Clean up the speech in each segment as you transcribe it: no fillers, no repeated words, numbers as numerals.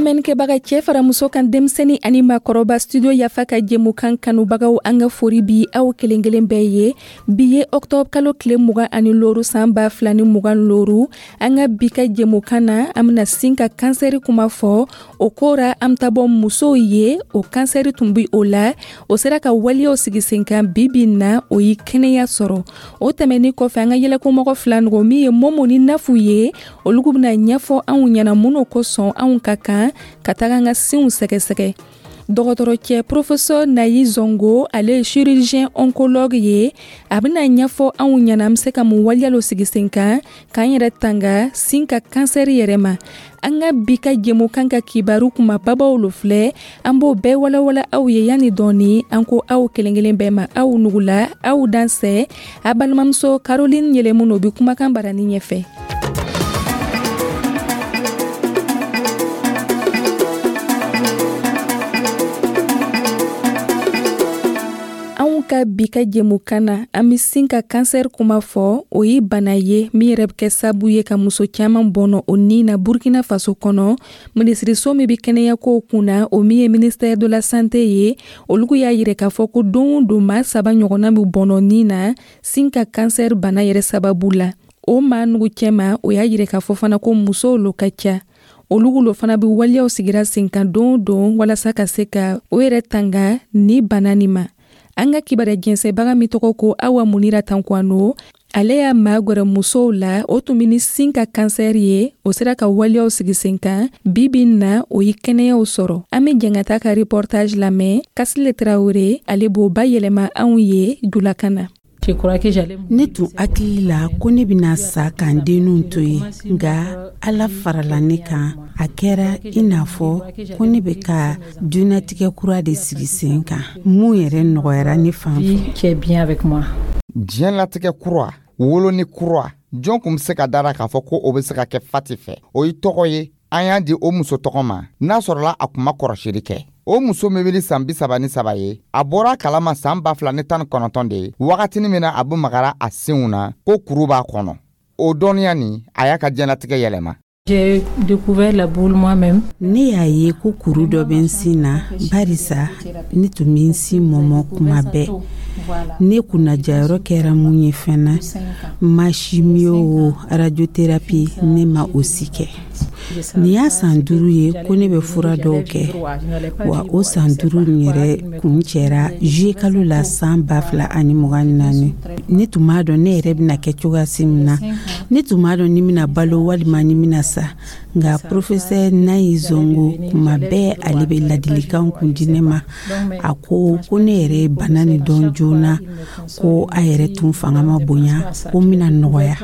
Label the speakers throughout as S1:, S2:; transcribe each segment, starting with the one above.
S1: Lamɛnnikɛbaga, cɛɛ fara muso kan, denmisɛni ani maakɔrɔba, Studio Yafa ka jɛmukan kanubagaw, an ka fori bi aw kelen kelen bɛɛ ye. Bi ye octobre kalo tile 25, san 2025. An ka bi ka jɛmukan na, an bena sin ka kansɛri kuma fɔ. O ko ra, an be taa bɔ musow ye, o kansɛri tun bi o la, o sera ka waleyaw sigi sen kan. Bi bi na, o ye kɛnɛya sɔrɔ. O tɛmɛni kɔfɛ, an ka yɛlɛkomɔgɔ fila nɔgɔ min ye Momo ni Nafu ye, olu bena ɲɛfɔ anw ɲɛna mun kosɔn anw ka kan ka taga an ka sinw sɛgɛsɛgɛ. Dɔgɔtɔrɔcɛ professeur Nayi Zongo, ale ye chirurgien oncologue ye, a bɛna ɲɛfɔ anw ɲɛna an bɛ se ka mun waleya sigi sen kan k'an yɛrɛ tanga sin ka kansɛri yɛrɛ ma. An ka bi ka jɛmukan ka kibaru kumababaw lo filɛ, an b'o bɛɛ walawala aw ye yanni dɔɔni. An ko aw kelen kelen bɛɛ ma, aw nugula, aw dansɛ. A balimamuso Caroline Yɛlɛmu o bɛ kumakan barani ɲɛfɛ. Anw ka bi ka jɛmukan na, an bɛ sin ka kansɛri kuma fɔ. O ye bana ye min yɛrɛ bɛ kɛ sabu ye ka muso caman bɔnɔ o ni na Burkina Faso kɔnɔ. Minisiriso min bɛ kɛnɛyakow kunna, o min ye ministère de la santé ye, olu y'a yira k'a fɔ ko don o don, maa saba ɲɔgɔnna bɛ bɔnɔ ni na sin ka kansɛri bana yɛrɛ sababu la. O maa nugu cɛma, o y'a yira k'a fɔ fana ko musow lo ka ca. Olu lo fana bɛ waleyaw sigira sen kan don o don walasa ka se ka o yɛrɛ tanga ni bana nin ma. An ka kibaruya jɛnsɛbaga min tɔgɔ ko Awa Munira Tankwano, ale y'a magwɛrɛ musow la, o tun bɛ ni sin ka kansɛri ye, o sera ka waleyaw sigi sen kan. Bi bi na, o ye kɛnɛyaw sɔrɔ. An bɛ jɛngata ka reportage lamɛn. Kasile Tarawele, ale b'o bayɛlɛma anw ye julakan na.
S2: Ne tun hakili la ko ne bɛna sa ka n denninw to yen, nka Ala farala ne kan. A kɛra i n'a fɔ ko ne bɛ ka dunatigɛ kura de sigi sen kan. Mun yɛrɛ nɔgɔyara ne fan fɛ.
S3: Diɲɛlatigɛ kura, woloni kura, jɔn kun bɛ se ka dara k'a fɔ ko o bɛ se ka kɛ Fati fɛ? O ye tɔgɔ ye an y'a di o muso tɔgɔ ma n'a sɔrɔla a kun ma kɔrɔsili kɛ. O muso min bɛ san 33 ye, a bɔra a kalama san 2019 de ye, wagatinin min na a bɛ magara a sinw na ko kuru b'a kɔnɔ. O dɔnniya nin, a y'a ka diɲɛlatigɛ yɛlɛma.
S2: Ne y'a ye ko kuru dɔ bɛ n sin na, barisa ne tun bɛ n sin mɔmɔ kuma bɛɛ. Ne kunnajayɔrɔ kɛra mun ye fana, ma chimio o, radiothérapie, ne ma o si kɛ. Nin y'a san 5 ye ko ne bɛ fura dɔw kɛ, wa o san 5 nin yɛrɛ kun cɛra juillet kalo la san 2024. Ne tun b'a dɔn ne yɛrɛ bɛna kɛ cogoya si min na, ne tun b'a dɔn ni bɛna balo walima ni bɛna sa. Nka professeur Nayi Zongo, kuma bɛɛ ale bɛ ladilikan kun di ne ma. A ko ko ne yɛrɛ ye bana nin dɔn joona, ko a yɛrɛ tun fanga ma bonya, ko n bɛna nɔgɔya.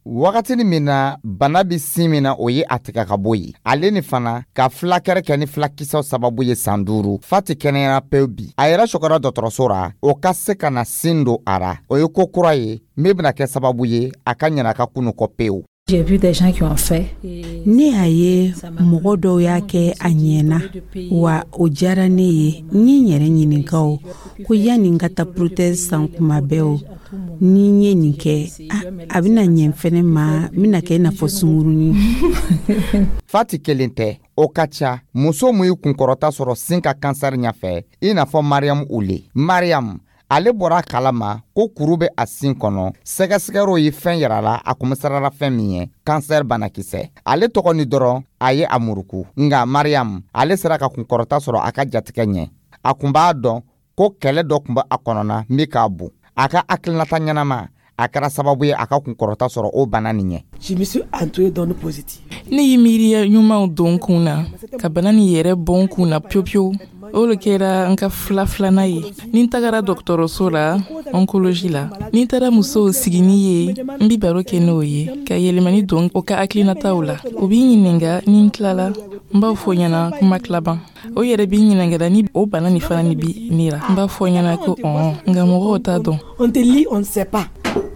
S3: Wagatinin min na bana bɛ sin min na, o ye a tigɛ ka bɔ yen. Ale ni fana ka fulakɛrɛ kɛ ni fulakisɛw sababu ye san 5, Fati kɛnɛyara pewu bi. A yɛrɛ sɔgɔra dɔgɔtɔrɔso ra o ka se ka na sin don a ra. O ye ko kura ye min bɛna kɛ sababu ye a ka ɲinɛ a ka kunu kɔ pewu.
S2: Ne y'a ye mɔgɔ dɔw y'a kɛ, a ɲɛna, wa o diyara ne ye. N ye n yɛrɛ ɲininka o ko yanni n ka taa prothèse san kuma bɛɛ o, ni n ye nin kɛ, a bɛna ɲɛ fɛnɛ ma, n bɛna kɛ i n'a fɔ sungurunin.
S3: Fati kelen tɛ, o ka ca muso mun ye kunkɔrɔta sɔrɔ sin ka kansɛri ɲɛfɛ, i n'a fɔ Mariam Ule. Mariam, ale bɔra a kalama ko kuru bɛ a sin kɔnɔ. Sɛgɛsɛgɛrɛw ye fɛn yira la, a kun bɛ sirala fɛn min ye, kansɛri banakisɛ. Ale tɔgɔ ni dɔrɔn a ye a muruku. Nka Mariam, ale sera ka kunkɔrɔta sɔrɔ a ka jatigɛ ɲɛ. A kun b'a dɔn ko kɛlɛ dɔ kun bɛ a kɔnɔna min k'a bon. A ka hakilinata ɲɛnama, a kɛra sababu ye a ka kunkɔrɔta sɔrɔ o bana nin ɲɛ.
S4: Ne ye miiriya ɲumanw don n kun na ka bana nin yɛrɛ bɔ n kun na pewu pewu. O le kɛra n ka fila filanan ye ni n tagara dɔgɔtɔrɔso la, oncologie la. Ni n taara musow sigini ye, n bi baro kɛ n'o ye ka yɛlɛmani don o ka hakilinataw la. O b'i ɲininga ni n tilala, n b'a fɔ ɲɛna kuma tilaban. O yɛrɛ b'i ɲininga ni o bana nin fana ni bi ne la, n b'a fɔ ɲɛna ko ɔn, nka mɔgɔw t'a dɔn.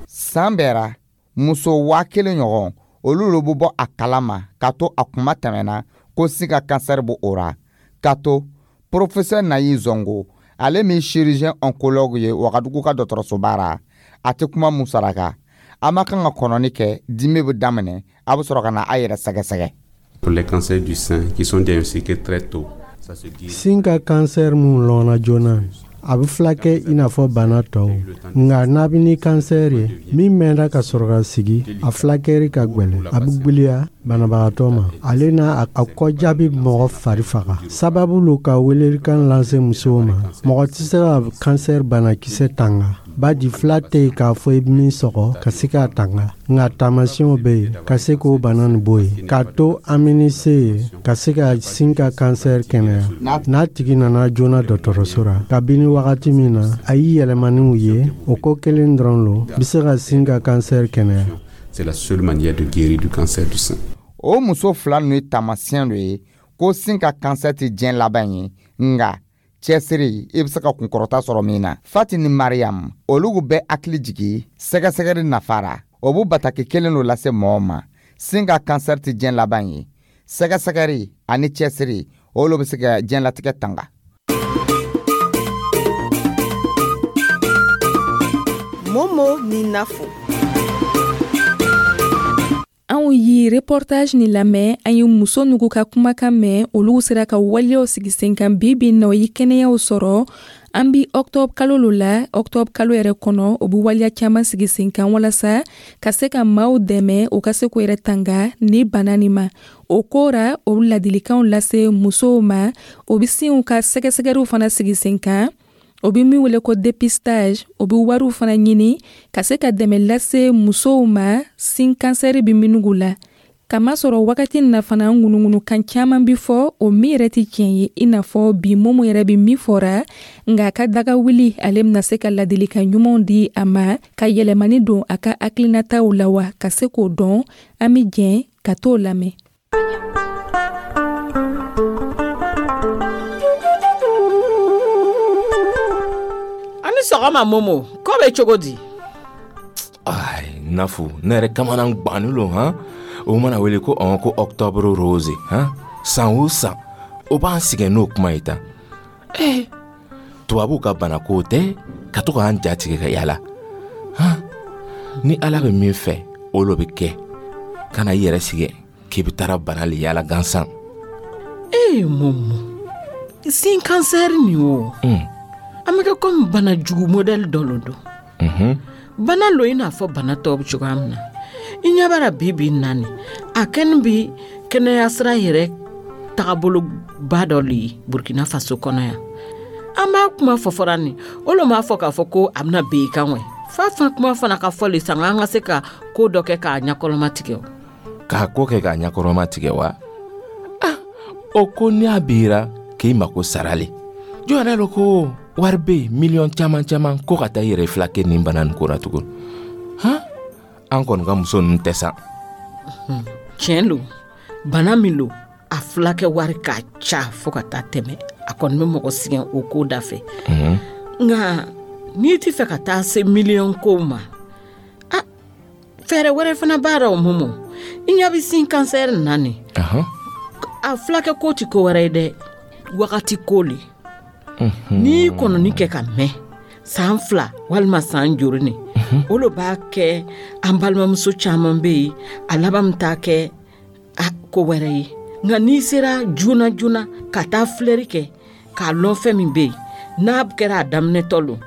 S3: San bɛɛra, muso 1000 ɲɔgɔn, olu lo bɛ bɔ a kalama k'a to a kuma tɛmɛna ko sin ka kansɛri b'o o ra. K'a to professeur Nayi Zongo, ale min chirurgien oncologue ye Wagadugu ka dɔgɔtɔrɔsoba ra, a tɛ kuma musaraka. A ma kan ka kɔnɔni kɛ, dimi bɛ daminɛ, a bɛ sɔrɔ ka na a yɛrɛ sɛgɛsɛgɛ.
S5: Pour les cancers du sein qui sont diagnostiqués très tôt.
S6: Sin ka kansɛri mun lɔnna joona, a bɛ filakɛ i n'a fɔ bana tɔw. Nka n'a bɛ ni kansɛri ye min mɛnna ka sɔrɔ ka sigi, a filakɛri ka gwɛlɛn, a bɛ gwiliya banabagatɔ ma, ale n'a a kɔjaabi bɛ mɔgɔ fari faga. Sababu lo ka welelikan lase musow ma: mɔgɔ tɛ se ka kansɛri banakisɛ tanga, badi fila tɛ yen k'a fɔ i bɛ min sɔgɔ ka se k'a tanga. Nka taamasiyɛnw bɛ yen ka se k'o bana nin bɔ yen, k'a to an bɛ ni se ye ka se ka sin ka kansɛri kɛnɛya. N'a tigi nana joona dɔgɔtɔrɔso la, kabini wagati min na a y'i yɛlɛmaniw ye, o ko kelen dɔrɔn lo bɛ se ka sin ka kansɛri kɛnɛya.
S5: C'est la seule manière de guérir du cancer du sein.
S3: O muso fila ninnu ye taamasiyɛn dɔ ye ko sin ka kansɛri tɛ diɲɛ laban ye, nka cɛsiri, i bɛ se ka kunkɔrɔta sɔrɔ min na. Fati ni Mariam, olu bɛ hakili jigi sɛgɛsɛgɛli nafa ra. O bɛ bataki kelen dɔ lase mɔgɔw ma: sin ka kansɛri tɛ diɲɛ laban ye, sɛgɛsɛgɛli ani cɛsiri, olu bɛ se ka diɲɛlatigɛ tanga.
S7: Momo ni Nafo.
S1: Anw ye reportage ni lamɛn, an ye muso nugu ka kumakan mɛn. Olu sera ka waleyaw sigi sen kan bi bi na, o ye kɛnɛyaw sɔrɔ. An bi octobre kalo lo la. Octobre kalo yɛrɛ kɔnɔ, o bi waleya caman sigi sen kan walasa ka se ka maaw dɛmɛ, u ka se k'u yɛrɛ tanga ni bana nin ma. O ko ra, o ladilikanw lase musow ma, o bi sinw ka sɛgɛsɛgɛliw fana sigi sen kan, o bɛ min wele ko dépistage. O bɛ wariw fana ɲini ka se ka dɛmɛ lase musow ma sin kansɛri bɛ minnu la. Kamasɔrɔ wagati na fana, ŋunuŋunukan caman bɛ fɔ, o min yɛrɛ tɛ tiɲɛ ye, i n'a fɔ bi Momo yɛrɛ bɛ min fɔra. Nka a ka daga wuli, ale bɛna se ka ladilikan ɲumanw di a ma ka yɛlɛmani don a ka hakilinataw la wa ka se k'o dɔn. An bɛ jɛn ka t'o lamɛn.
S8: Ani sɔgɔma Momo, ko bɛ cogo di?
S9: Ai, Nafo, ne yɛrɛ kamana gbannen lo han. O mana wele ko ɔn ko octobre rose han, san o san o b'an sɛgɛn n'o kuma ye tan. Eh, tubabuw ka banako tɛ ka to k'an ja tigɛ ka yala han. Ni Ala bɛ min fɛ, o lo bɛ kɛ. Kana i yɛrɛ sɛgɛn k'i bɛ taara bana le yala gansan.
S8: Ee Momo, sin kansɛri nin o, an bɛ kɛ komi bana jugu modɛli dɔ lo don. Bana lo i n'a fɔ bana tɔw bɛ cogoya min na. I ɲɛ b'a la bi bi na nin, a kɛni bi kɛnɛya sira yɛrɛ tagaboloba dɔ le ye Burkina Faso kɔnɔ yan. An b'a kuma fɔ fɔra nin, o lo m'a fɔ k'a fɔ ko a bɛna ben i kan wɛ. Fa fan kuma fana ka fɔ le sanga an ka se ka ko dɔ kɛ k'a ɲɛkɔrɔma tigɛ o.
S9: K'a ko kɛ k'a ɲɛkɔrɔma tigɛ wa? Ah, o ko ni a bira k'i mako sara le. Jɔn yɛrɛ lo ko wari bɛ yen miliyɔn caman caman ko ka taa i yɛrɛ filakɛ nin bana nin ko la tugun. Han, an kɔni ka muso ninnu tɛ sa.
S8: Tiɲɛ lo, bana min lo, a filakɛ wari ka ca fo ka taa tɛmɛ. A kɔni bɛ mɔgɔ sɛgɛn o ko da fɛ. Nka n'i ti fɛ ka taa se miliyɔn kow ma, a fɛɛrɛ wɛrɛ fana b'a la o Momo. I ɲɛ bɛ sin kansɛri na nin, a filakɛ ko ti ko wɛrɛ ye dɛ, wagati ko le. N'i kɔnɔni kɛ ka mɛn san 2 walima san jori nin, o lo b'a kɛ an balimamuso caman bɛ yen, a laban bɛ taa kɛ a ko wɛrɛ ye. Nka n'i sera joona joona ka taa filɛri kɛ k'a lɔn fɛn min bɛ yen, n'a kɛra a daminɛtɔ lo,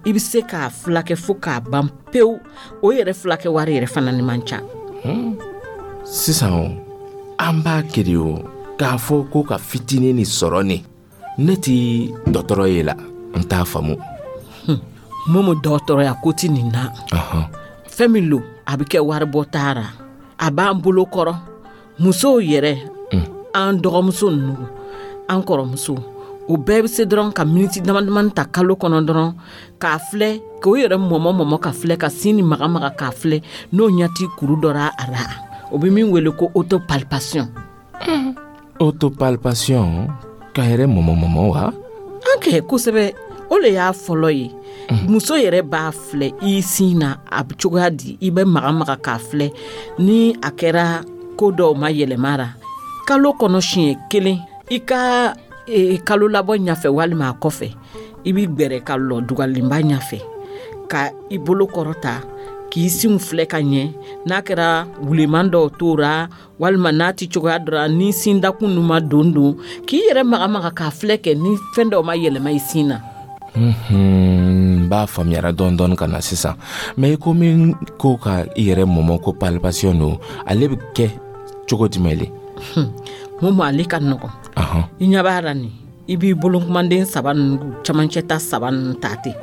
S8: i bɛ se k'a filakɛ fo k'a ban pewu. O yɛrɛ filakɛ wari yɛrɛ fana ni man ca.
S9: Sisan o, an b'a kɛ de o k'a fɔ ko ka fitinin ni sɔrɔ nin. Ne ti dɔgɔtɔrɔ ye la, n t'a faamu.
S8: Momo, dɔgɔtɔrɔya ko ti nin na. Fɛn min lo, a bɛ kɛ waribɔ taara, a b'an bolo kɔrɔ. Musow yɛrɛ, an dɔgɔmuso ninnu, an kɔrɔmuso, o bɛɛ bɛ se dɔrɔn ka miniti dama damani ta kalo kɔnɔ dɔrɔn k'a filɛ, k'o yɛrɛ mɔmɔ mɔmɔ ka filɛ, ka sin ni maga maga k'a filɛ n'o ɲɛ ti kuru dɔ ra a la. O bɛ min wele ko autopalpation.
S9: Autopalpation, ka yɛrɛ mɔmɔ mɔmɔ wa?
S8: An kɛ kosɛbɛ, o le y'a fɔlɔ ye. Muso yɛrɛ b'a filɛ i sin na a bɛ cogoya di, i bɛ maga maga k'a filɛ ni a kɛra ko dɔw ma yɛlɛma ra. Kalo kɔnɔ siɲɛ kelen, i ka kalo labɔ ɲɛfɛ walima a kɔfɛ, i b'i gbɛrɛ ka lɔ dugalenba ɲɛfɛ ka i bolo kɔrɔta K'i sinw filɛ ka ɲɛ, n'a kɛra wuleman dɔw t'o ra, walima n'a ti cogoya dɔ ra, ni sin dakun nu ma don don, k'i yɛrɛ magamaga k'a filɛ kɛ ni fɛn dɔw ma yɛlɛma i sin na.
S9: N b'a faamuyara dɔɔni dɔɔni ka na sisan. Mais i ko min ko ka i yɛrɛ mɔmɔ ko palpation don, ale bɛ kɛ cogo jumɛn le?
S8: Momo, ale ka nɔgɔn. I ɲɛ b'a la nin, i b'i bolokumanden saba ninnu, camancɛ ta saba ninnu ta ten,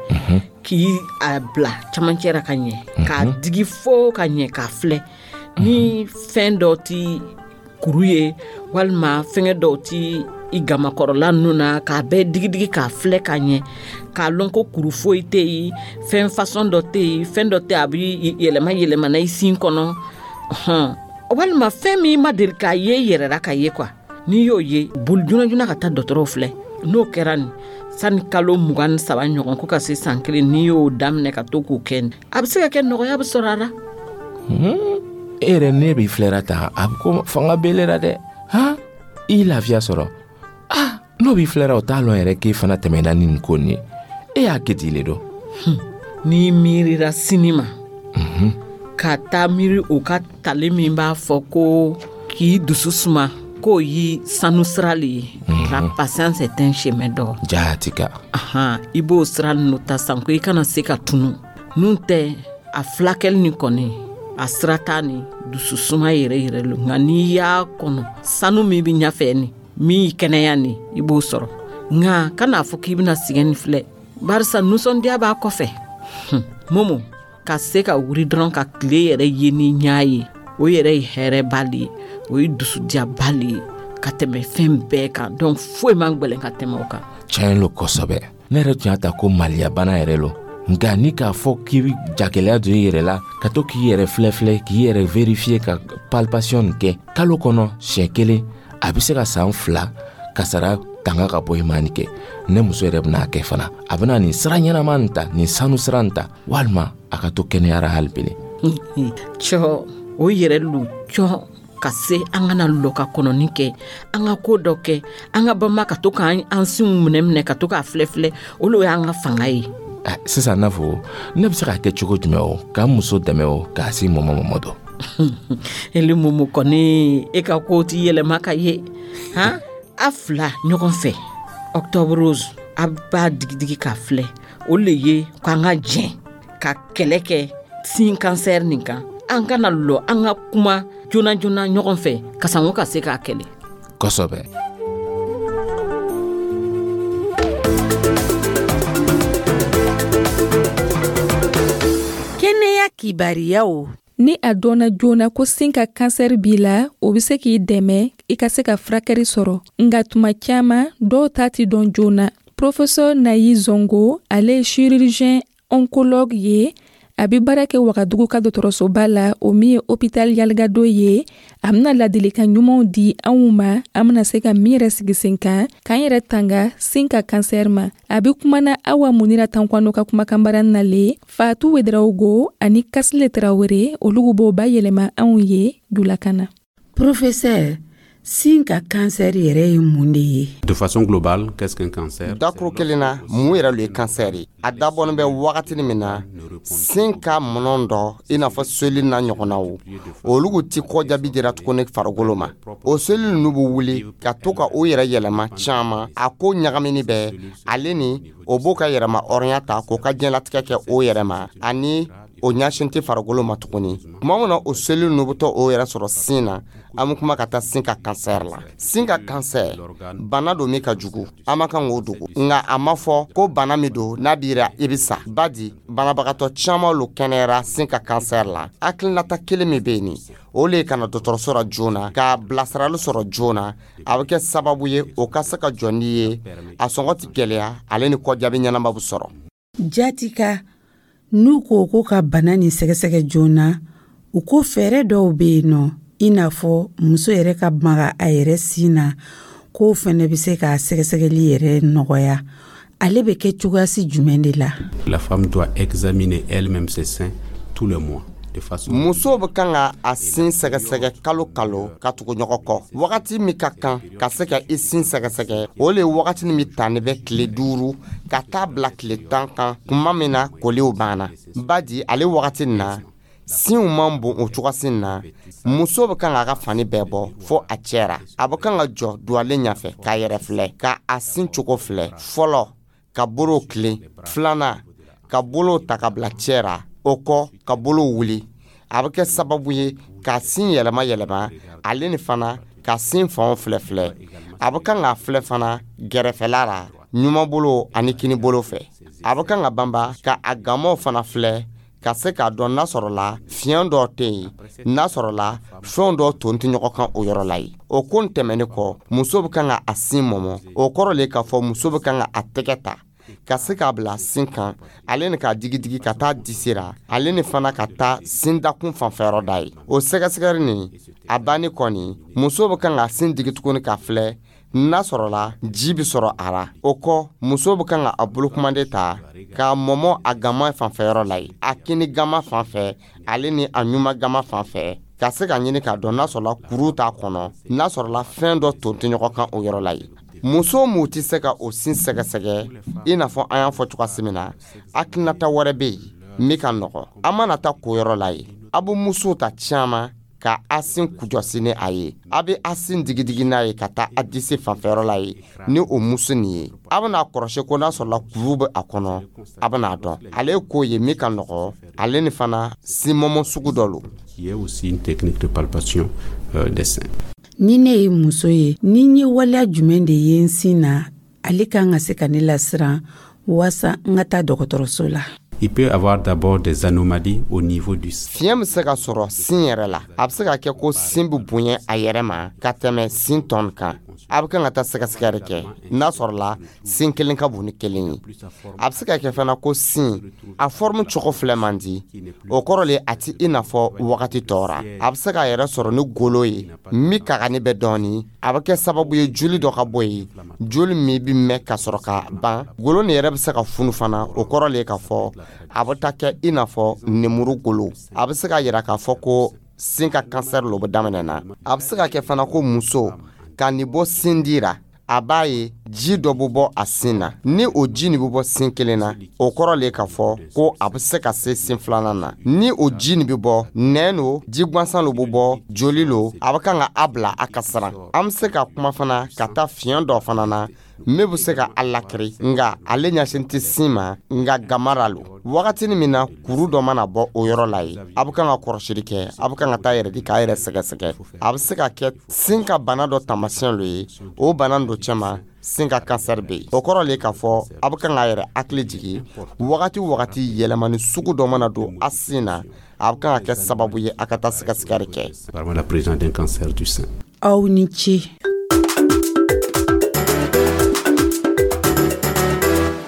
S8: k'i a bila camancɛ ra ka ɲɛ, k'a digi fo ka ɲɛ, k'a filɛ ni fɛn dɔ ti kuru ye walima fɛngɛ dɔw ti i gamakɔrɔla ninnu na, k'a bɛɛ digidigi k'a filɛ ka ɲɛ, k'a lɔn ko kuru foyi tɛ yen, fɛn fasɔn dɔ tɛ yen, fɛn dɔ tɛ a bɛ yɛlɛma yɛlɛmana i sin kɔnɔ, walima fɛn min ma deli k'a ye i yɛrɛ la ka ye quoi. N'i y'o ye, boli joona joona ka taa dɔgɔtɔrɔw filɛ. N'o kɛra nin, sani kalo 23 ɲɔgɔn ko ka se san kelen, n'i y'o daminɛ ka to k'o kɛ, a bɛ se ka kɛ nɔgɔya bɛ sɔrɔ a la.
S9: E yɛrɛ, ne b'i filɛra tan, a bɛ ko fanga b'e la dɛ. Han, i lafiya sɔrɔ. Ah, n'o b'i filɛra, o t'a lɔn yɛrɛ k'e fana tɛmɛna ni nin ko nin ye. E y'a kɛ ten le dɔn.
S8: N'i miirira sini ma, ka taa miiri o ka tali min b'a fɔ ko k'i dusu suma, k'o ye sanu sira le ye. La patience est un chemin d'or.
S9: Jaati ka.
S8: I b'o sira ninnu ta sanko i kana se ka tunu. N'u tɛ a fulakɛli nin kɔni, a sira t'a ni dusu suma yɛrɛ yɛrɛ lo. Nka n'i y'a kɔnɔ, sanu min bɛ ɲɛfɛ nin, min y'i kɛnɛya nin, i b'o sɔrɔ. Nka kan'a fɔ k'i bɛna sɛgɛn nin filɛ, barisa nisɔndiya b'a kɔfɛ. Momo, ka se ka wuri dɔrɔn ka tile yɛrɛ ye ni ɲa ye, o yɛrɛ ye hɛrɛba le ye, o ye dusudiyaba le ye ka tɛmɛ fɛn bɛɛ kan. Donc foyi man gwɛlɛn ka tɛmɛ o kan.
S9: Tiɲɛ lo kosɛbɛ. Ne yɛrɛ tun y'a ta ko maliyabana yɛrɛ lo, nka ni k'a fɔ k'i bɛ jagɛlɛya don i yɛrɛ la, ka to k'i yɛrɛ filɛ filɛ, k'i yɛrɛ vérifier, ka palpation nin kɛ kalo kɔnɔ siɲɛ kelen, a bɛ se ka san 2 kasara tanga ka bɔ i ma nin kɛ. Ne muso yɛrɛ bɛna kɛ fana, a bɛna nin sira ɲɛnama nin ta, nin sanu sira nin ta, walima a ka to kɛnɛyara hali bele.
S8: Cɔ, o yɛrɛ lo cɔ ka se an kana lɔ ka kɔnɔni kɛ, an ka ko dɔ kɛ, an ka bama ka to k'an sinw minɛ minɛ, ka to k'a filɛ filɛ, o le y'an ka fanga ye.
S9: Sisan n'a fɔ ne bɛ se k'a kɛ cogo jumɛn o, k'an muso dɛmɛ o, k'a se mɔmɔ mɔmɔ dɔ?
S8: Ele Momo kɔni, e ka ko ti yɛlɛma ka ye han. A fila ɲɔgɔn fɛ, octobre rose, a b'a digidigi k'a filɛ, o le ye k'an ka jɛn ka kɛlɛ kɛ sin kansɛri nin kan. An kana lɔ, an ka kuma joona joona ɲɔgɔn fɛ ka sanko ka se k'a kɛlɛ.
S9: Kosɛbɛ.
S2: Kɛnɛya kibariyaw.
S1: Ni a dɔnna joona ko sin ka kansɛri b'i la, o bɛ se k'i dɛmɛ i ka se ka furakɛli sɔrɔ. Nka tuma caman, dɔw ta tɛ dɔn joona. Professeur Nayi Zongo, ale ye chirurgien oncologue ye. A bɛ baara kɛ Wagadugu ka dɔgɔtɔrɔsoba la, o min ye hôpital Yalgado ye. A bɛna ladilikan ɲumanw di anw ma, an bɛna se ka min yɛrɛ sigi sen kan, k'an yɛrɛ tanga sin ka kansɛri ma. A bɛ kumana Awa Munira Tankwano ka kumakanbara nalen, Fatu Wedarawogo ani Kasile Tarawele, olu b'o bayɛlɛma anw ye julakan na.
S2: Professeur, sin ka kansɛri yɛrɛ ye mun de ye?
S5: De façon globale, qu'est-ce qu'un cancer?
S3: Dakuru kelen na, mun yɛrɛ lo ye kansɛri ye? A dabɔnin bɛ wagatini min na, sin ka mɔnɔ dɔ, i n'a fɔ seli n'a ɲɔgɔnnaw, olu ti kɔjaabi dira tuguni farikolo ma. O seli ninnu bɛ wuli ka to ka o yɛrɛ yɛlɛma caman, a ko ɲagamini bɛ ale ni o b'o ka yɛrɛma hɔrɔnya ta k'o ka diɲɛlatigɛ kɛ o yɛrɛ ma, ani o ɲɛsin tɛ farikolo ma tuguni. Tuma min na o seli ninnu bɛ to o yɛrɛ sɔrɔ sin na, an bɛ kuma ka taa sin ka kansɛri la. Sin ka kansɛri, bana don min ka jugu, an ma kan k'o dogo. Nka a ma fɔ ko bana min don n'a b'i ra i bɛ sa. Badi banabagatɔ caman lo kɛnɛyara sin ka kansɛri la. Hakilinata kelen min bɛ yen nin, o le ye ka na dɔgɔtɔrɔso la joona, ka bilasirali sɔrɔ joona. A bɛ kɛ sababu ye o ka se ka jɔ n'i ye, a sɔngɔ tɛ gɛlɛya, ale ni kɔjaabi ɲɛnama bɛ sɔrɔ.
S2: Jatika, n'u ko ko ka bana nin sɛgɛsɛgɛ joona, u ko fɛɛrɛ dɔw bɛ yen nɔ, i n'a fɔ muso yɛrɛ ka maga a yɛrɛ sin na, k'o fɛnɛ bɛ se ka sɛgɛsɛgɛli yɛrɛ nɔgɔya. Ale bɛ kɛ cogoyasi jumɛn de la?
S5: La femme doit examiner elle-même ses seins tous les mois.
S3: Muso bɛ kan ka a sin sɛgɛsɛgɛ kalo kalo ka tugu ɲɔgɔn kɔ. Wagati min ka kan ka se ka i sin sɛgɛsɛgɛ, o le ye wagati min tani bɛ tile 5 ka taa bila tile 10 kan, kuma min na koliw banna. Badi ale wagati nin na, Sinw man bon o cogoyasin na. Muso bɛ kan k'a ka fani bɛɛ bɔ fo a cɛ ra. A bɛ kan ka jɔ duwalen ɲɛfɛ k'a yɛrɛ filɛ, ka a sin cogo filɛ. Fɔlɔ, ka bolow tilen. Filanan, ka bolow ta ka bila cɛ ra. O kɔ, ka bolow wuli. A bɛ kɛ sababu ye ka sin yɛlɛma yɛlɛma, ale ni fana ka sin fanw filɛ filɛ. A bɛ kan k'a filɛ fana gɛrɛfɛla la, ɲumanbolo ani kinibolo fɛ. A bɛ kan ka banba ka a gamaw fana filɛ, ka se k'a dɔn n'a sɔrɔla fiɲɛ dɔ tɛ yen, n'a sɔrɔla fɛn dɔ ton tɛ ɲɔgɔn kan o yɔrɔ la yen. O ko tɛmɛnen kɔ, muso bɛ kan ka a sin mɔmɔ. O kɔrɔ le k'a fɔ muso bɛ kan ka a tɛgɛ ta ka se k'a bila sin kan, ale ni k'a digidigi ka taa disi ra, ale ni fana ka taa sin dakun fanfɛyɔrɔ da ye. O sɛgɛsɛgɛli nin a banni kɔni, muso bɛ kan ka sin digi tuguni k'a filɛ n'a sɔrɔla ji bɛ sɔrɔ a ra. O kɔ, muso bɛ kan ka a bolokumanden ta k'a mɔmɔ a gama fanfɛyɔrɔ la ye, a kini gama fan fɛ, ale ni a ɲuman gama fan fɛ, ka se ka ɲini k'a dɔn n'a sɔrɔla kuru t'a kɔnɔ, n'a sɔrɔla fɛn dɔ ton tɛ ɲɔgɔn kan o yɔrɔ la ye. Muso mun tɛ se ka o sin sɛgɛsɛgɛ i n'a fɔ an y'a fɔ cogoya min na, hakilinata wɛrɛ bɛ yen min ka nɔgɔ. An mana taa ko yɔrɔ la ye, a bɛ musow ta caman ka a sin kujɔsi ni a ye. A bɛ a sin digidigi n'a ye ka taa a disi fanfɛyɔrɔ la ye ni o muso nin ye. A bɛna kɔrɔsi ko n'a sɔrɔla kuru bɛ a kɔnɔ, a bɛna dɔn. Ale ye ko ye min ka nɔgɔ, ale ni fana sinmɔmɔ sugu dɔ lo.
S5: Qui est aussi une technique de palpation des seins.
S2: Ni ne ye muso ye, ni n ye waleya jumɛn de ye n sin na, ale kan ka se ka ne lasiran waasa n ka taa dɔgɔtɔrɔso la?
S5: Il peut avoir d'abord des anomalies au niveau du
S3: Fiɲɛ bɛ se ka sɔrɔ sin yɛrɛ la. A bɛ se ka kɛ ko sin bɛ bonya a yɛrɛ ma ka tɛmɛ sin tɔn kan. A bɛ kan ka taa sɛgɛsɛgɛli kɛ n'a sɔrɔla sin kelen ka bon ni kelen ye. A bɛ se ka kɛ fana ko sin a forme cogo filɛ man di. O kɔrɔ le a ti i n'a fɔ wagati tɔ ra. A bɛ se k'a yɛrɛ sɔrɔ ni golo ye min kagani bɛ dɔɔni. A bɛ kɛ sababu ye joli dɔ ka bɔ yen, joli min bɛ mɛn ka sɔrɔ ka ban. Golo nin yɛrɛ bɛ se ka funu fana. O kɔrɔ le k'a fɔ a bɛ taa kɛ i n'a fɔ nemuru golo. A bɛ se ka yira k'a fɔ ko sin ka kansɛri lo bɛ daminɛ na. A bɛ se ka kɛ fana ko muso ka nin bɔ sin di ra, a b'a ye ji dɔ bɛ bɔ a sin na. Ni o ji nin bɛ bɔ sin kelen na, o kɔrɔ le k'a fɔ ko a bɛ se ka se sin filanan na. Ni o ji nin bɛ bɔ, nɛn lo, ji gansan lo bɛ bɔ, joli lo, a bɛ kan ka a bila a ka siran. An bɛ se ka kuma fana ka taa fiɲɛ dɔ fana na min bɛ se ka a lakiri, nka ale ɲɛsin tɛ sin ma, nka gamara lo. Wagatinin min na kuru dɔ mana bɔ o yɔrɔ la ye, a bɛ kan ka kɔrɔsili kɛ, a bɛ kan ka taa yɛrɛ di k'a yɛrɛ sɛgɛsɛgɛ. A bɛ se ka kɛ sin ka bana dɔ taamasiyɛn lo ye. O bana dɔ cɛma, sin ka kansɛri bɛ yen. O kɔrɔ le k'a fɔ a bɛ kan k'a yɛrɛ hakili jigin wagati wagati yɛlɛmani sugu dɔ mana don a sin na, a bɛ kan ka kɛ sababu ye a ka taa sɛgɛsɛgɛli kɛ.
S5: Parmi la présence d'un cancer du sein.
S2: Aw ni ce.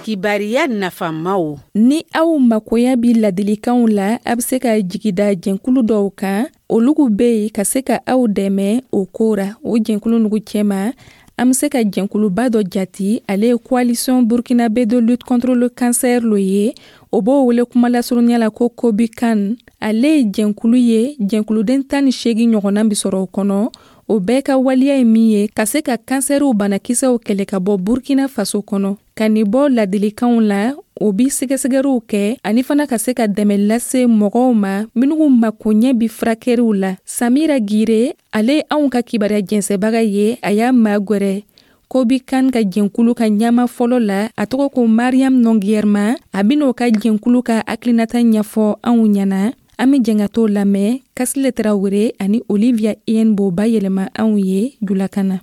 S2: Kibariya nafamaw.
S1: Ni aw makoya bi ladilikanw la, a bɛ se ka jigida jɛnkulu dɔw kan. Olugu bɛ yen ka se ka aw dɛmɛ o ko ra. O jɛnkulu nugu cɛma, an bɛ se ka jɛnkuluba dɔ jati, ale ye Coalition burkinabé de lutte contre le cancer lo ye. O b'o wele kuma lasurunya la ko COBUCAN. Ale ye jɛnkulu ye, jɛnkuluden 18 ɲɔgɔnna bɛ sɔrɔ o kɔnɔ. O bɛɛ ka waleya ye min ye ka se ka kansɛriw banakisɛw kɛlɛ ka bɔ Burkina Faso kɔnɔ, ka nin bɔ ladilikanw la, o bi sɛgɛsɛgɛriw kɛ, ani fana ka se ka dɛmɛ lase mɔgɔw ma minnu makoɲɛ bi furakɛriw la. Samira Gire, ale ye anw ka kibaruya jɛnsɛbaga ye, a y'a magwɛrɛ COBUCAN ka jɛnkulu ka ɲama fɔlɔ la, a tɔgɔ ko Mariam Nɔngiyɛrima. A ben'o ka jɛnkulu ka hakilinata ɲɛfɔ anw ɲɛna. An bɛ jɛn ka t'o lamɛn. Kasile Tarawele ani Olivia Ien b'o bayɛlɛma anw ye julakan na.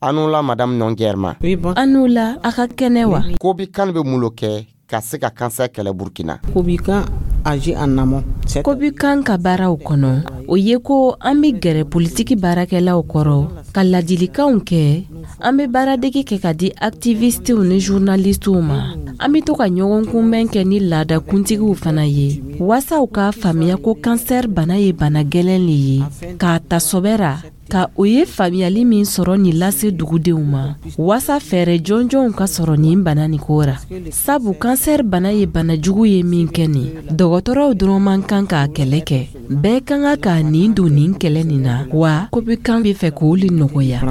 S3: An la madame Nɔngiyɛrima.
S10: Oui, bon. An la, a ka kɛnɛ wa?
S3: COBUCAN bɛ mun lo kɛ ka se ka kansɛr kɛlɛ Burkina?
S11: COBUCAN agit en amont.
S10: COBUCAN ka baaraw kɔnɔ, o ye ko an bɛ gɛrɛ politiki baarakɛlaw kɔrɔ ka ladilikanw kɛ. An bɛ baaradege kɛ ka di activistew ni journalistew ma. An bɛ to ka ɲɔgɔn kunbɛn kɛ ni laada kuntigiw fana ye, waasa u k'a faamuya ko kansɛr bana ye bana gɛlɛn le ye, k'a ta sɔbɛ ra, ka o ye faamuyali min sɔrɔ nin lase dugudenw ma, waasa fɛɛrɛ jɔnjɔnw ka sɔrɔ nin bana nin ko ra. Sabu kansɛr bana ye bana jugu ye min kɛ nin, dɔgɔtɔrɔw dɔrɔn man kan k'a kɛlɛ kɛ, bɛɛ ka kan k'a nin don nin kɛlɛ nin na. Wa COBUCAN bɛ fɛ k'o le nɔgɔya.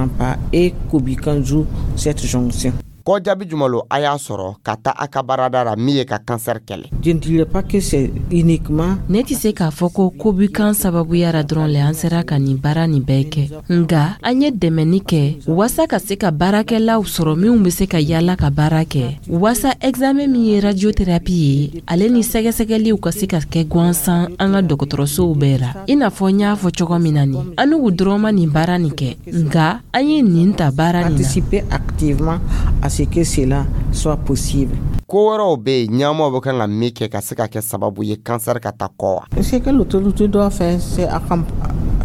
S11: Et COBUCAN joue cette jonction.
S3: Kɔ jaabi jumɛn lo a y'a sɔrɔ ka taa a ka baarada la min ye ka kansɛri kɛlɛ?
S11: Je ne dirais pas que c'est uniquement.
S10: Ne tɛ se k'a fɔ ko kobikan sababuya ra dɔrɔn le an sera ka nin baara nin bɛɛ kɛ, nga an ye dɛmɛni kɛ waasa ka se ka baarakɛlaw sɔrɔ minw bɛ se ka yaala ka baara kɛ, waasa examen min ye radiothérapie ye, ale ni sɛgɛsɛgɛliw ka se ka kɛ gansan an ka dɔgɔtɔrɔsow bɛɛ la. I n'a fɔ n y'a fɔ cogo min na nin, an n'u dɔrɔn ma nin baara nin kɛ, nka an ye nin ta baara nin na.
S11: Participer activement à ce que cela soit possible.
S3: Ko wɛrɛw bɛ yen ɲɛmɔgɔw bɛ kan ka min kɛ ka se ka kɛ sababu ye kansɛri ka taa kɔ wa?
S11: Ce que l'autorité doit faire, c'est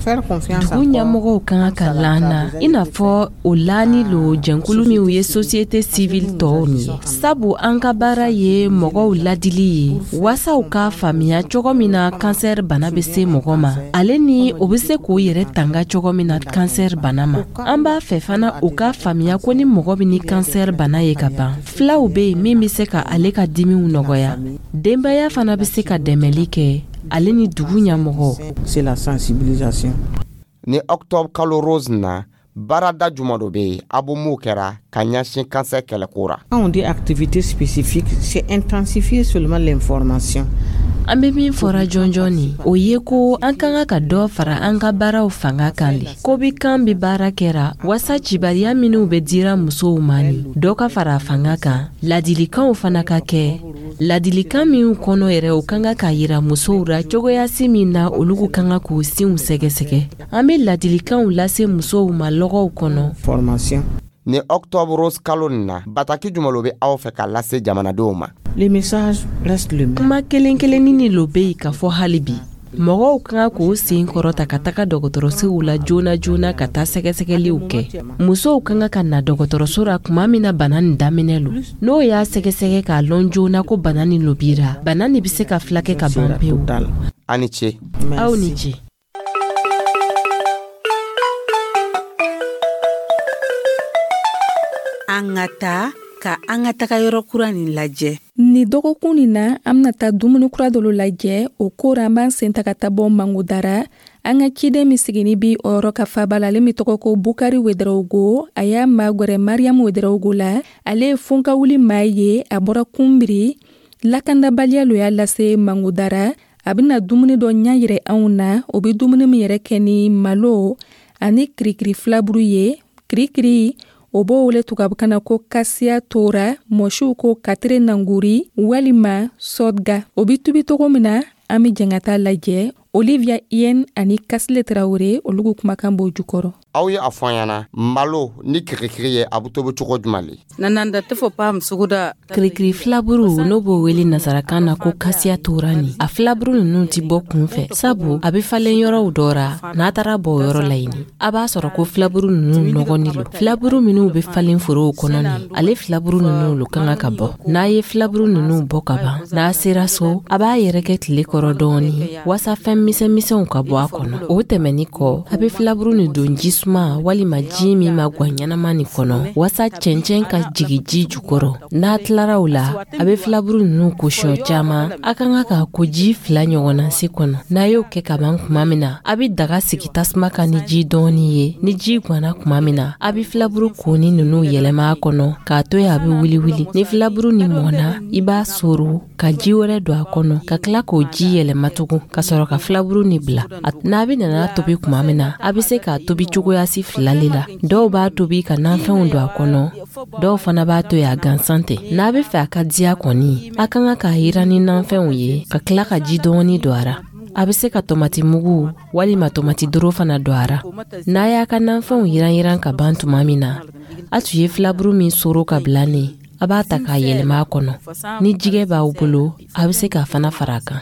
S11: faire confiance.
S10: Dugu ɲɛmɔgɔw ka kan ka lan na, i n'a fɔ o laani lo jɛnkulu minw ye société civile tɔw nin ye, sabu an ka baara ye mɔgɔw ladili ye waasa u k'a faamuya cogo min na kansɛri bana bɛ se mɔgɔ ma, ale ni o bɛ se k'o yɛrɛ tanga cogo min na kansɛri bana ma. An b'a fɛ fana u k'a faamuya ko ni mɔgɔ bɛ ni kansɛri bana ye ka ban, filaw bɛ yen min bɛ se ka ale ka dimiw nɔgɔya. Denbaya fana bɛ se ka dɛmɛli kɛ, ale ni dugu ɲɛmɔgɔ.
S11: C'est la sensibilisation.
S3: Ni octobre kalo rose na, baarada jumɛn dɔ bɛ yen a b'o mun kɛra ka ɲɛsin kansɛri kɛlɛko ra?
S11: Quand on dit activité spécifique, c'est intensifier seulement l'information.
S10: An bɛ min fɔra jɔnjɔn nin, o ye ko an ka kan ka dɔ fara an ka baaraw fanga kan le. Kobikan bɛ baara kɛra waasa cibariya minw bɛ dira musow ma nin, dɔ ka fara a fanga kan, ladilikanw fana ka kɛ, ladilikan minw kɔnɔ yɛrɛ, o ka kan ka yira musow ra cogoyasi min na olu ka kan k'u sinw sɛgɛsɛgɛ. An bɛ ladilikanw lase musow ma lɔgɔw kɔnɔ.
S11: Formation.
S3: Ni octobre rose kalo nin na, bataki jumɛn lo bɛ aw fɛ ka lase jamanadenw ma?
S11: Le message reste le même.
S10: Kuma kelen kelennin ni lo bɛ yen ka fɔ hali bi. Mɔgɔw ka kan k'o sen kɔrɔta ka taga dɔgɔtɔrɔsow la joona joona ka taa sɛgɛsɛgɛliw kɛ. Musow ka kan ka na dɔgɔtɔrɔso la tuma min na bana nin daminɛ lo. N'o y'a sɛgɛsɛgɛ k'a lɔn joona ko bana nin lo b'i ra, bana nin bɛ se ka filakɛ ka ban pewu.
S3: A ni ce.
S10: Aw ni ce.
S2: An ka taa ka an ka taga yɔrɔ kura nin lajɛ.
S1: Ni dɔgɔkun nin na, an bɛna taa dumuni kura dɔ lajɛ. O ko ra, an b'an sen ta ka taa bɔ Mangodara. An ka ciden min sigini bi o yɔrɔ ka faba la, ale min tɔgɔ ko Bukari Wedarawogo, a y'a magwɛrɛ Mariam Wedarawogo la. Ale ye fonkawuli maa ye, a bɔra Kunbiri. Lakandabaliya lo y'a lase Mangodara. A bɛna dumuni dɔ ɲɛ yɛrɛ anw na, o bɛ dumuni min yɛrɛ kɛ ni malo ani kirikiri filaburu ye. Kirikiri, o b'o wele tubabukan na ko kasiya tora, mɔsiw ko katire nanguri walima sɔdga. O bɛ tubi cogo min na, an bɛ jɛn ka taa lajɛ. Olivia Yen ani Kasile Tarawele, olu kumakan b'o jukɔrɔ.
S3: Aw ye a fɔ an ɲɛna, malo ni kirikiri ye, a bɛ tobi cogo jumɛn le?
S10: Kirikiri filaburu, n'o b'o wele nasarakan na ko kasiya tora nin, a filaburu ninnu ti bɔ kun fɛ, sabu a bɛ falen yɔrɔw dɔ ra. N'a taara bɔ o yɔrɔ la yen, a b'a sɔrɔ ko filaburu ninnu nɔgɔni lo. Filaburu minnu bɛ falen forow kɔnɔ nin, ale filaburu ninnu lo ka kan ka bɔ. N'a ye filaburu ninnu bɔ ka ban, n'a sera so, a b'a yɛrɛkɛ tile kɔrɔ dɔɔni waasa fɛn misɛnmisɛnw ka bɔ a kɔnɔ. O tɛmɛni kɔ, a bɛ filaburu nin don ji suma walima ji min ma gwan ɲɛnama nin kɔnɔ waasa cɛncɛn ka jigin ji jukɔrɔ. N'a tilara o la, a bɛ filaburu ninnu ko siɲɛ caman. A ka kan k'a ko ji 2 ɲɔgɔnna se kɔnɔ. N'a y'o kɛ ka ban tuma min na, a bɛ daga sigi tasuma kan ni ji dɔɔni ye. Ni ji gwanna tuma min na, a bɛ filaburu koni ninnu yɛlɛma a kɔnɔ k'a to yen a bɛ wuli wuli. Ni filaburu nin mɔnna, i b'a soro ka ji wɛrɛ don a kɔnɔ ka tila k'o ji yɛlɛma tugun ka sɔrɔ ka filaburu nin bila. N'a bɛ nana tobi tuma min na, a bɛ se k'a tobi cogoyasi 2 le la. Dɔw b'a tobi ka nafɛnw don a kɔnɔ, dɔw fana b'a to yen a gansan tɛ. N'a bɛ fɛ a ka diya kɔni, a ka kan k'a yiran ni nafɛnw ye ka tila ka ji dɔɔni don a ra. A bɛ se ka tomati mugu walima tomati doro fana don a ra. N'a y'a ka nafɛnw yiran yiran ka ban tuma min na, a tun ye filaburu min soro ka bila nin, a b'a ta k'a yɛlɛma a kɔnɔ. Ni jɛgɛ b'aw bolo, a bɛ se k'a fana fara a kan.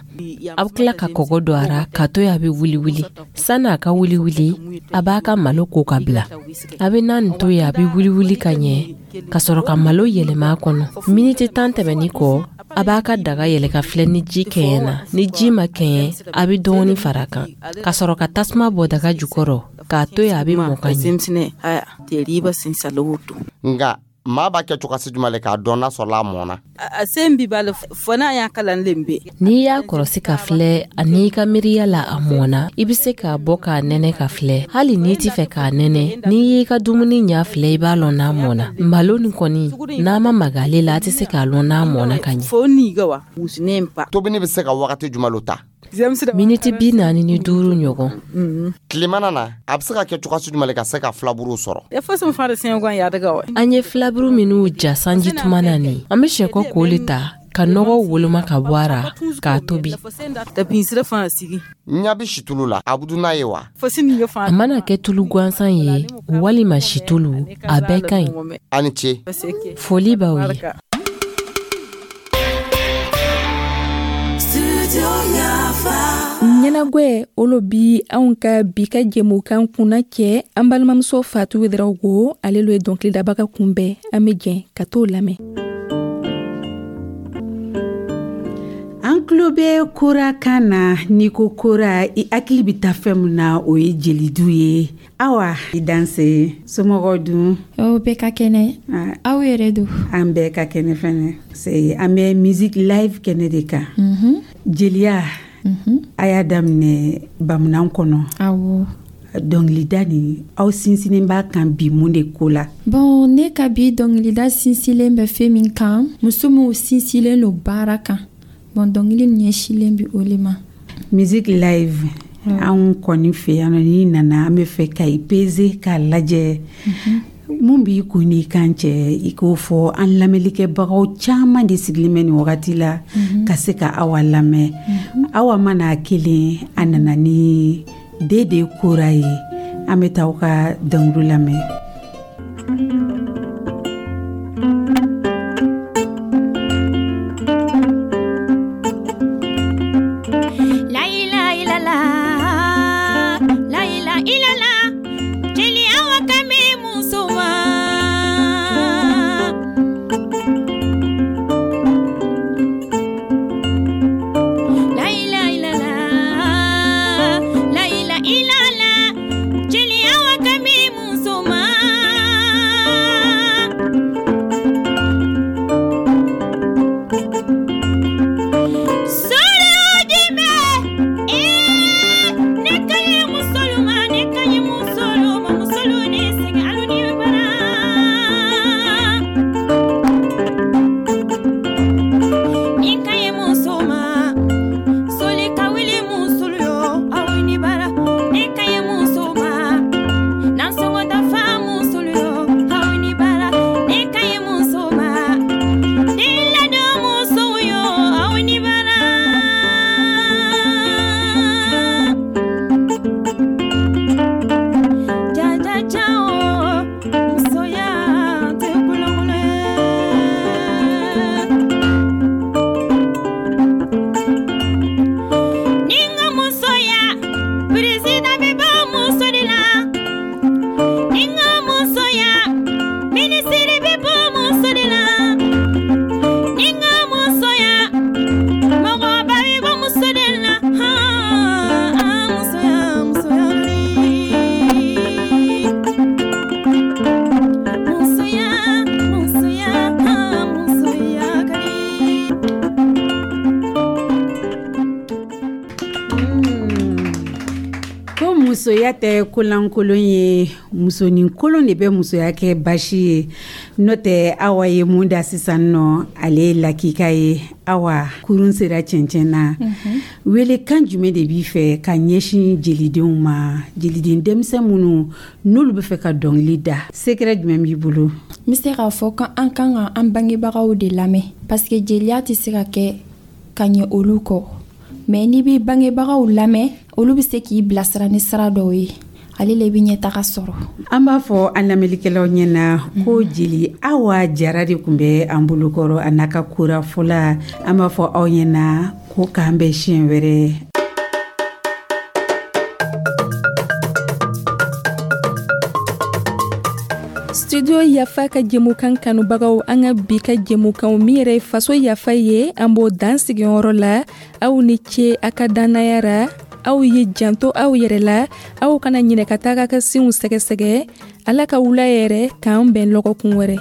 S10: A bɛ tila ka kɔgɔ don a ra k'a to yen a bɛ wuli wuli. Sanni a ka wuli wuli, a b'a ka malo ko ka bila. A bɛ na nin to yen a bɛ wuli wuli ka ɲɛ ka sɔrɔ ka malo yɛlɛma a kɔnɔ. Miniti 10 tɛmɛni kɔ, a b'a ka daga yɛlɛ ka filɛ ni ji kɛɲɛna. Ni ji ma kɛɲɛ, a bɛ dɔɔni fara a kan ka sɔrɔ ka tasuma bɔ daga jukɔrɔ k'a to yen a bɛ mɔ ka ɲɛ.
S3: Nka Maa b'a kɛ cogosi jumɛn le k'a dɔn n'a sɔrɔla a mɔnna?
S12: A sen bi b'a la fo n'a y'a kalan len be.
S10: N'i y'a kɔrɔsi ka filɛ ani i ka miiriya la a mɔnna, i bɛ se k'a bɔ k'a nɛnɛ ka filɛ. Hali n'i t'i fɛ k'a nɛnɛ, n'i y'i ka dumuni ɲa filɛ, i b'a lɔn n'a mɔnna. Malo nin kɔni, n'a ma maga ale la, a tɛ se k'a lɔn n'a mɔnna ka ɲɛ.
S12: Fo niga wa wusinen pa.
S3: Tobini bɛ se ka wagati jumɛn lo ta?
S10: Miniti 45 ɲɔgɔn.
S3: Tilemana na, a bɛ se ka kɛ cogosi jumɛn le ka se ka filaburu sɔrɔ?
S10: An ye filaburu minnu ja sanji tuma na nin, an bɛ sɛkɔ k'o le ta ka nɔgɔ woloma ka bɔ a ra k'a tobi.
S3: Ɲa bɛ situlu la, a bɛ dun n'a ye wa?
S10: A mana kɛ tulu gansan ye walima situlu, a bɛɛ ka ɲi.
S3: A ni ce.
S10: Foli b'aw ye.
S1: Ɲɛnagwɛ olo bi anw ka bi ka jɛmukan kunna cɛ. An balimamuso Fatu Ouédraogo, ale lo ye dɔnkilidabaga kunbɛn. An bɛ jɛn ka t'o lamɛn.
S2: An tulo bɛ kora kan na. N'i ko kora, i hakili bɛ taa fɛn min na, o ye jelidu ye. Awa, i danse. Somɔgɔw dun?
S13: O bɛɛ ka kɛnɛ. Aw yɛrɛ don?
S2: An bɛɛ ka kɛnɛ fɛnɛ. An bɛ musique live kɛnɛ de kan. Jeliya, a y'a daminɛ bamanan kɔnɔ.
S13: Awɔ.
S2: Dɔnkilida nin, aw sinsinnen b'a kan bi mun de ko la?
S13: Bon, ne ka bi dɔnkilida sinsinlen bɛ fɛn min kan, muso minnu sinsinlen don baara kan. Bon, dɔnkili ɲɛsinlen bɛ o le ma.
S2: Musique live, anw kɔni fɛ yan nɔ, n'i nana an bɛ fɛ ka i peser k'a lajɛ. Mun b'i kun n'i kan cɛ, i k'o fɔ an lamɛnnikɛbagaw caman de sigilen bɛ nin wagati la ka se ka Awa lamɛn. Awa mana kelen, a nana ni Dede Kora ye. An bɛ taa aw ka dɔnkili lamɛn. Musoya tɛ kolankolon ye, musonin kolon de bɛ musoya kɛ basi ye. N'o tɛ, Awa ye mun da sisan nɔ, ale ye lakika ye. Awa, kurun sera cɛncɛn na. Welekan jumɛn de b'i fɛ ka ɲɛsin jelidenw ma, jeliden denmisɛn minnu n'olu bɛ fɛ ka dɔnkili da, secret jumɛn b'i bolo?
S13: N bɛ se k'a fɔ ko an kan ka an bangebagaw de lamɛn, parce que jeliya tɛ se ka kɛ ka ɲɛ olu kɔ. Mais n'i b'i bangebagaw lamɛn, olu bɛ se k'i bilasira ni sira dɔw ye, ale le bɛ ɲɛtaga sɔrɔ.
S2: An b'a fɔ an lamɛnnikɛlaw ɲɛna ko jeli Awa Jara de tun bɛ an bolokɔrɔ, a n'a ka kora fɔla. An b'a fɔ aw ɲɛna ko k'an bɛn siɲɛ wɛrɛ.
S1: Studio Yafa ka jɛmukan kanubagaw, an ka bi ka jɛmukan min yɛrɛ ye faso yafa ye, an b'o dan sigiyɔrɔ la. Aw ni ce a ka dannaya ra. Aw ye janto aw yɛrɛ la, aw kana ɲinɛ ka taga ka sinw sɛgɛsɛgɛ. Ala ka wula yɛrɛ k'an bɛn lɔgɔkun wɛrɛ.